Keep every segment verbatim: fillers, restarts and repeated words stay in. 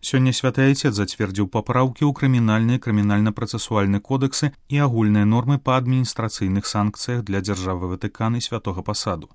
Сёння святы айцец зацвердзіў папраўкі ў крымінальны і крымінальна-працэсуальны кодексы і агульныя нормы па адміністрацыйных санкцыях для дзяржавы Ватыкан і святога пасаду.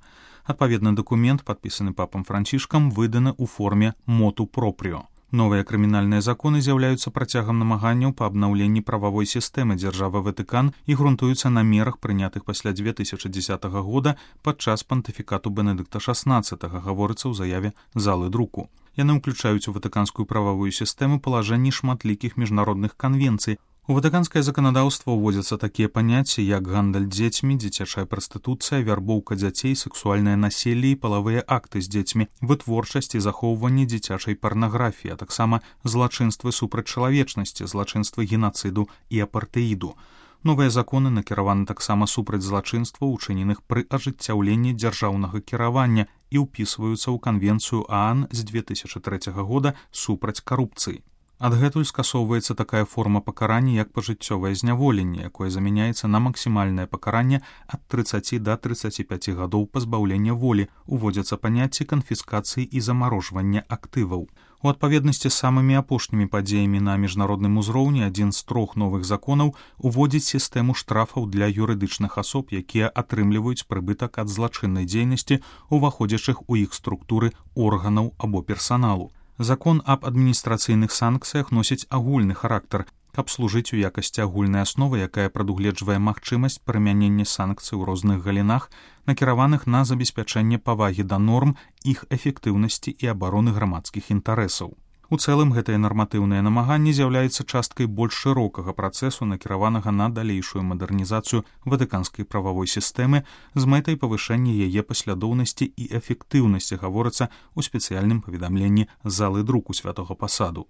Адпаведны дакумент, падпісаны папам Францішкам, выданы ў форме моту пропріо. Новыя крымінальныя законы з'яўляюцца працягам намаганняў па абнаўленні прававой сістэмы дзяржавы Ватыкан і грунтуюцца на мерах, прынятых пасля две тысячы дзесятага года падчас пантыфікату Бенедыкта шаснаццатага, гаворыцца ў заяве залы друку. Яны ўключаюць у ватыканскую прававую сістэму палажэнні шматлікіх міжнародных канвенцый. У ватыканскае заканадаўства ўводзяцца такія паняцці, як гандаль дзецьмі, дзіцячая прастытуцыя, вярбоўка дзяцей, сексуальнае населле і палавыя акты з дзецьмі, вытворчасць і захоўванне дзіцячай парнаграфіі, а таксама злачынствы супраць чалавечнасці, злачынствы генацыду і апартэіду. Новыя законы накіраваны таксама супраць злачынстваў, учыненых пры ажыццяўленні дзяржаўнага кіравання і ўпісваюцца ў канвенцыю ААН з две тысячы трэцяга года супраць карупцыі. Адгэтуль скасоўваецца такая форма пакарання, як пажыццёвае зняволенне, якое замяняецца на максімальнае пакаранне ад трыццаці да трыццаці пяці гадоў пазбаўлення волі, уводзяцца паняцці канфіскацыі і замарожвання актываў. У адпаведнасці з самымі апошнімі падзеямі на міжнародным узроўні адзін з трох новых законаў уводзіць сістэму штрафаў для юрыдычных асоб, якія атрымліваюць прыбытак ад злачыннай дзейнасці, уваходзячых у іх структуры органаў або персаналу. Закон аб адміністрацыйных санкцыях носіць агульны характар, каб служыць у якасці агульнай асновы, якая прадугледжвае магчымасць прымянення санкцый у розных галінах, накіраваных на забеспячэнне павагі да норм, іх эфектыўнасці і абароны грамадскіх інтарэсаў. У цэлым гэтае нарматыўнае намаганне з'яўляецца часткай больш шырокага працэсу, накіраванага на далейшую мадэрнізацыю ватыканскай прававой сістэмы з мэтай павышэння яе паслядоўнасці і эфектыўнасці, гаворыцца ў спецыяльным паведамленні залы друку святога пасаду.